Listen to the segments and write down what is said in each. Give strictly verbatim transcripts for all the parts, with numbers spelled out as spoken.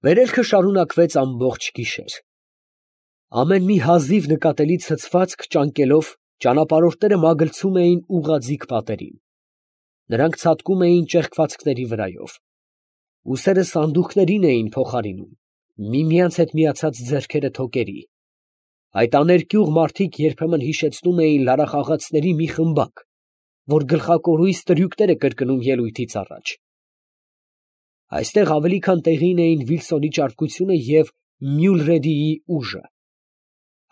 Վերելքը շարունակվեց ամբողջ գիշեր։ Ամեն մի հազիվ նկատելի ցցվածք ճանկելով ճանապարհորդները մագլցում էին ուղղաձիգ պատերին. նրանք ցատկում էին ճեղքվածքների վրայով, ուսերը սանդուղքներին էին փոխարինում, միմյանց հետ միացած ձեռքերը թոկերի. այդ աներկյուղ մարդիկ երբեմն հիշեցնում էին լարախաղացների մի խմբակ, որ գլխակորույս տրյուկներ է կրկնում ելույթից առաջ։ Այստեղ ավելի քան տեղին էին Վիլսոնի ճարպկությունը և Մյուլրեդիի ուժը։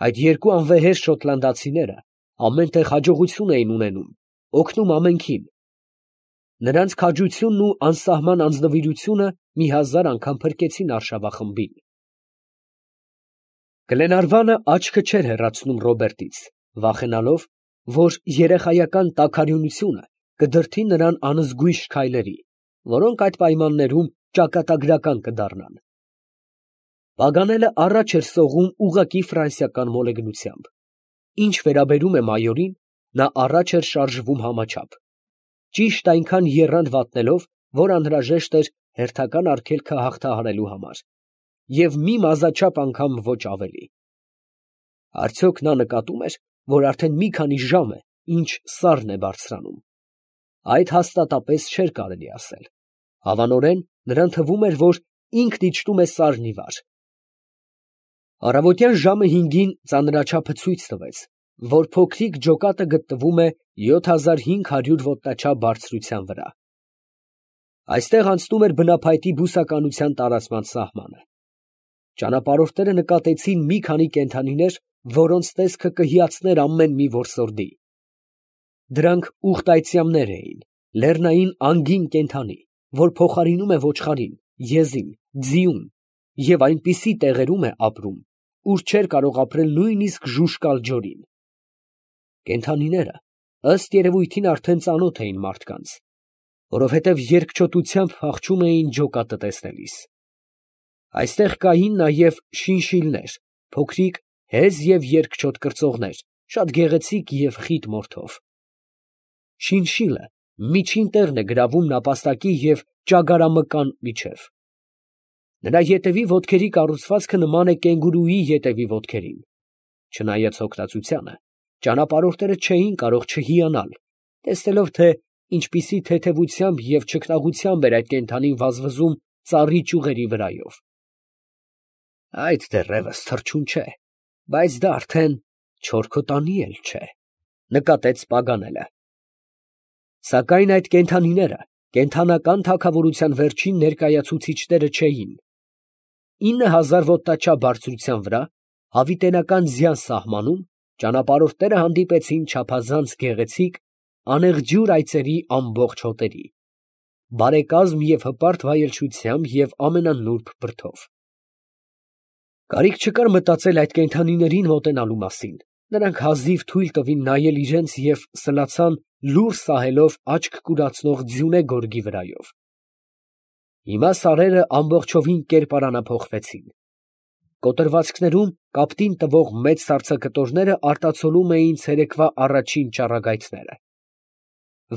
Այդ երկու անվեհեր շոտլանդացիները ամենտեղ հաջողություն էին ունենում, օգնում ամենքին։ Նրանց քաջությունն ու անսահման անձնվիրությունը մի հազար անգամ փրկեցին արշավախմբին։ Գլենարվանը աչքը չէր հեռացնում Ռոբերտից, վախենալով, որ երեխայական տաքարյունությունը կդրդի նրան անզգույշ քայլերի, որոնք այդ պայմաններում ճակատագրական կդառնան։ Պագանելը առաջ էր սողում ուղղակի ֆրանսիական մոլեգնությամբ։ Ինչ վերաբերում է մայորին, նա առաջ էր շարժվում համաչափ, ճիշտ այնքան եռանդ վատնելով, որ անհրաժեշտ էր հերթական արգելքը հաղթահարելու համար, և մի մազաչափ անգամ ոչ ավելի։ Արդյոք նա նկատում էր, որ արդեն մի քանի ժամ է, ինչ սառն է բարձրանում։ Այդ հաստատապես չէր կարելի ասել։ Հավանորեն նրան թվում էր, որ ինքն իջնում է սառն ի վար։ Առավոտյան ժամը հինգին ծանրաչափը ցույց տվեց, որ փոքրիկ ջոկատը գտնվում է յոթ հազար հինգ հարյուր ոտնաչափ բարձրության վրա։ Այստեղ անցնում էր բնափայտի բուսականության տարածման սահմանը։ Ճանապարհորդները նկատեցին մի քանի կենդանիներ, որոնց տեսքը կհիացներ ամեն մի որսորդի։ Դրանք ուղտայծյամներ էին, լեռնային անգին կենդանի, որ փոխարինում է ոչխարին, եզին, ձիուն և այնպիսի տեղերում է ապրում, ուր չէր կարող ապրել նույնիսկ ժուժկալ ջորին։ Կենդանիները ըստ երևույթին արդեն ծանոթ էին մարդկանց, որովհետև երկչոտությամբ փախչում էին ջոկատը տեսնելիս։ Այստեղ կային նաև շինշիլներ, փոքրիկ հեզ և երկչոտ կրծողներ, շատ գեղեցիկ և խիտ մորթով։ Շինշիլը միջին տեղն է գրավում նապաստակի և ճագարամկան միջև։ Նրա ետևի ոտքերի կառուցվածքը նման է կենգուրուի ետևի ոտքերին։ Չնայած հոգնածությանը, ճանապարհորդները չէին կարող չհիանալ, տեսնելով, թե ինչպիսի թեթևությամբ և չքնաղությամբ էր այդ կենդանին վազվզում ծառի ճյուղերի վրայով։ Այդ դեռևս թռչուն չէ, բայց դա արդեն չորքոտանի էլ չէ, նկատեց Պագանելը։ Սակայն այդ կենդանիները կենդանական թագավորության վերջին ներկայացուցիչները չէին։ Ինը հազար ոտնաչափ բարձրության վրա, հավիտենական ձյան սահմանում, ճանապարհորդները հանդիպեցին չափազանց գեղեցիկ, անեղջյուր այծերի ամբողջ հոտերի, բարեկազմ և հպարտ վայելչությամբ և ամենանուրբ բրդով։ Կարիք չկար մտածել այդ կենդանիներին մոտենալու մասին, նրանք հազիվ թույլ տվին նայել իրենց և սլացան լուռ սահելով աչք կուրացնող ձյունե գորգի վրայով։ Հիմա սարերը ամբողջովին կերպարանափոխվեցին։ Կոտրվածքներում կապտին տվող մեծ սառցակտորները արտացոլում էին ցերեկվա առաջին ճառագայթները։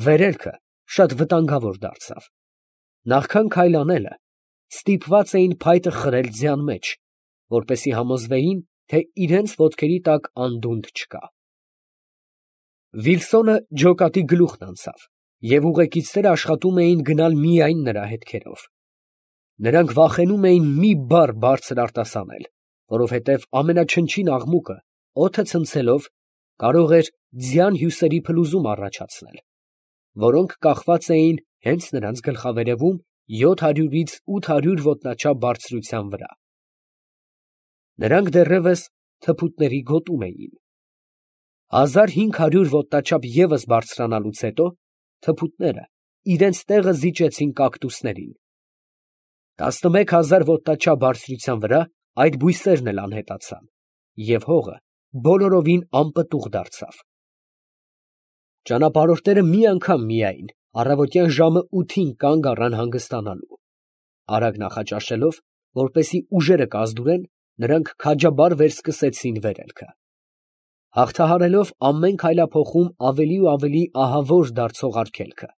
Վերելքը շատ վտանգավոր դարձավ։ Նախքան քայլ անելը, ստիպված էին փայտը խրել ձյան մեջ, որպեսզի համոզվեին, թե իրենց ոտքերի տակ անդունդ չկա։ Վիլսոնը ջոկատի գլուխն անցավ, և ուղեկիցները աշխատում էին գնալ միայն նրա հետքերով։ Նրանք վախենում էին մի բառ բարձր արտասանել, որովհետև ամենաչնչին աղմուկը, օդը ցնցելով, կարող էր ձյան հյուսերի փլուզում առաջացնել, որոնք կախված էին հենց նրանց գլխավերևում յոթ հարյուրից ութ հարյուր ոտնաչափ բարձրության վրա։ Նրանք դեռևս թփուտների գոտում էին։ Հազար հինգ հարյուր ոտնաչափ ևս բարձրանալուց հետո թփուտները իրենց տեղը զիջեցին կակտուսներին։ Տասնմեկ հազար ոտնաչափ բարձրության վրա այդ բույսերն էլ անհետացան, և հողը բոլորովին անպտուղ դարձավ։ Ճանապարհորդները մի անգամ միայն առավոտյան ժամը ութին կանգ առան հանգստանալու։ Արագ նախաճաշելով, որպեսզի ուժերը կազդուրեն, նրանք քաջաբար վերսկսեցին վերելքը։ Հաղթահարելով ամեն քայլափոխում ավելի ու ավելի ահավոր դարձող արգելքը,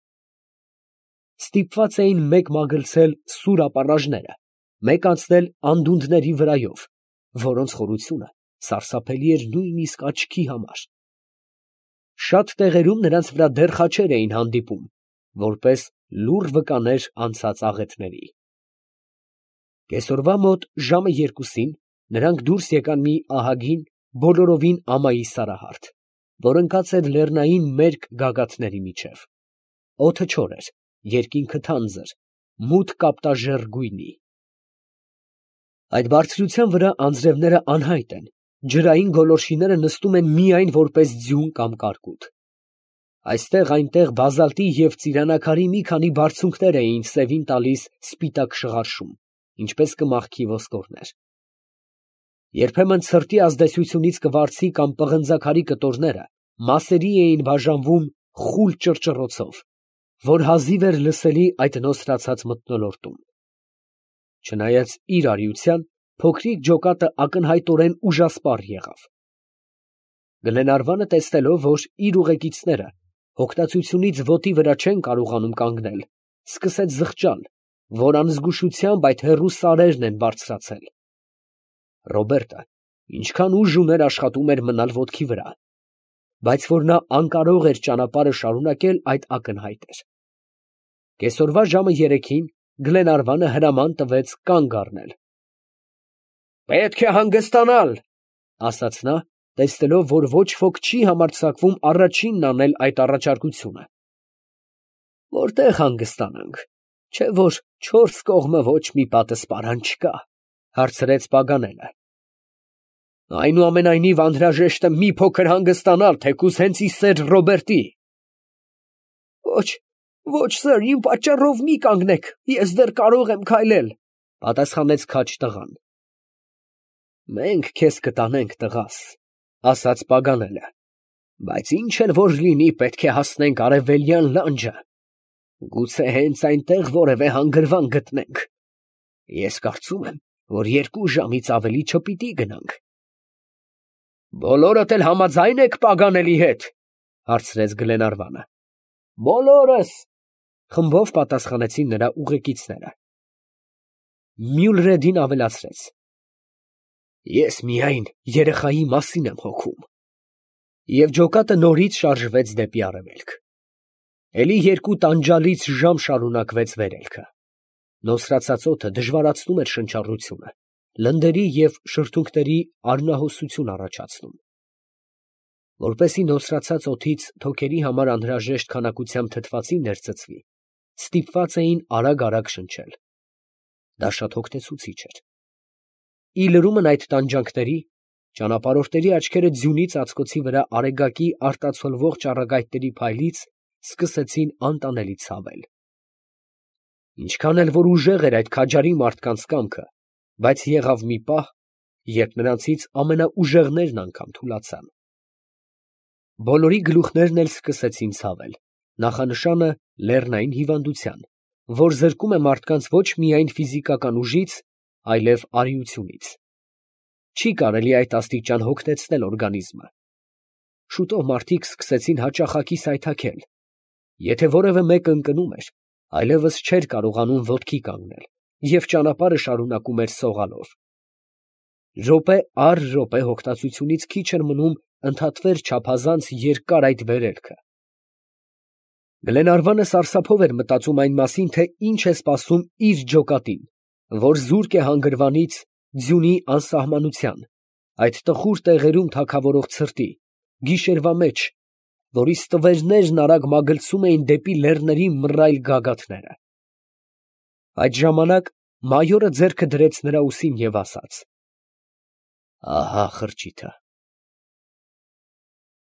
ստիպված էին մեկ մագլցել սուր ապառաժները, մեկ անցնել անդունդների վրայով, որոնց խորությունը սարսափելի էր նույնիսկ աչքի համար։ Շատ տեղերում նրանց վրա դեռ խաչեր էին հանդիպում, որպես լուռ վկաներ անցած աղետների։ Կեսօրվա մոտ ժամը երկուսին նրանք դուրս եկան մի ահագին, բոլորովին ամայի սարահարթ, որ ընկած էր լեռնային մերկ գագաթների միջև։ Օդը չոր էր, երկինքը թանձր, մութ կապտաժեռ գույնի։ Այդ բարձրության վրա անձրևները անհայտ են, ջրային գոլորշիները նստում են միայն որպես ձյուն կամ կարկուտ։ Այստեղ այնտեղ բազալտի և ծիրանակարի մի քանի բարձունքներ էին սևին տալիս սպիտակ շղարշում, ինչպես կմախքի ոսկորներ։ Երբեմն ցրտի ազդեցությունից կվարձի կամ պղնձաքարի կտորները մասերի էին բաժանվում խուլ ճռճռոցով, որ հազիվ էր լսելի այդ նոսրացած մթնոլորտում։ Չնայած իր արիության, փոքրիկ ջոկատը ակնհայտորեն ուժասպառ եղավ։ Գլենարվանը տեսնելով, որ իր ուղեկիցները հոգնածությունից ոտի վրա չեն կարողանում կանգնել, սկսեց զղջալ, որ անզգուշությամբ այդ հեռու սարերն են բարձրացել։ Ռոբերտը ինչքան ուժ ուներ աշխատում էր մնալ ոտքի վրա, բայց որ նա անկարող էր ճանապարհը շարունակել, այդ ակնհայտ էր։ Կեսօրվա ժամը երեքին Գլենարվանը հրաման տվեց կանգ առնել։ «Պետք է հանգստանալ», ֊ ասաց նա, տեսնելով, որ ոչ ոք չի համարձակվում առաջինն անել այդ առաջարկությունը։ «Որտե՞ղ հանգստանանք, չէ՞ որ չորս կողմը ոչ մի պատսպարան չկա», ֊ հարցրեց Պագանելը։ «Այնուամենայնիվ անհրաժեշտ է մի փոքր հանգստանալ, թեկուզ հենց ի սեր Ռոբերտի»։ «Ոչ, ոչ սըր, իմ պատճառով մի կանգնեք, ես դեռ կարող եմ քայլել», ֊ պատասխանեց քաջ տղան։ «Մենք քեզ կտանենք, տղաս», ֊ ասաց Պագանելը, «բայց ինչ էլ որ լինի, պետք է հասնենք արևելյան լանջը, գուցե հենց այնտեղ որևէ հանգրվան գտնենք։ Ես կարծում եմ, որ երկու ժամից ավելի չպիտի գնանք»։ «Բոլորդ էլ համաձա՞յն եք Պագանելի հետ», ֊ հարցրեց Գլենարվանը։ «Բոլորս», ֊ խմբով պատասխանեցին նրա ուղեկիցները։ Մյուլրեդին ավելացրեց. «Ես միայն երեխայի մասին եմ հոգում»։ Եվ ջոկատը նորից շարժվեց դեպի արևելք։ Էլի երկու տանջալից ժամ շարունակվեց վերելքը։ Նոսրացած օդը դժվարացնում էր շնչառությունը, լնդերի և շրթունքների արյունահոսություն առաջացնում։ Որպեսզի նոսրացած օդից թոքերի համար անհրաժեշտ քանակությամբ թթվածին ներծծվի, ստիպված էին արագ֊արագ շնչել։ Դա շատ հոգնեցուցիչ էր։ Ի լրումն այդ տանջանքների, ճանապարհորդների աչքերը ձյունի ծածկոցի վրա արեգակի արտացոլվող ճառագայթների փայլից սկսեցին անտանելի ցավել։ Ինչքան էլ որ ուժեղ էր այդ քաջարի մարդկանց կամքը, բայց եղավ մի պահ, երբ նրանցից ամենաուժեղներն անգամ թուլացան։ Բոլորի գլուխներն էլ սկսեցին ցավել, նախանշանը լեռնային հիվանդության, որ զրկում է մարդկանց ոչ միայն ֆիզիկական ուժից, այլև արիությունից։ Չի կարելի այդ աստիճան հոգնեցնել օրգանիզմը։ Շուտով մարդիկ սկսեցին հաճախակի սայթաքել։ Եթե որևէ մեկը ընկնում էր, այլևս չէր կարողանում ոտքի կանգնել և ճանապարհը շարունակում էր սողալով։ Րոպե առ րոպե հոգնածությունից քիչ էր մնում ընդհատվեր չափազանց երկար այդ վերելքը։ Գլենարվանը սարսափով էր մտածում այն մասին, թե ինչ է սպասում իր ջոկատին, որ զուրկ է հանգրվանից, ձյունի անսահմանության, այդ տխուր տեղերում թագավորող ցրտի, գիշերվա մեջ, որի ստվերներն արագ մագլցում էին դեպի լեռների մռայլ գագաթները։ Այդ ժամանակ մայորը ձեռքը դրեց նրա ուսին և ասաց. «Ահա խրճիթը»։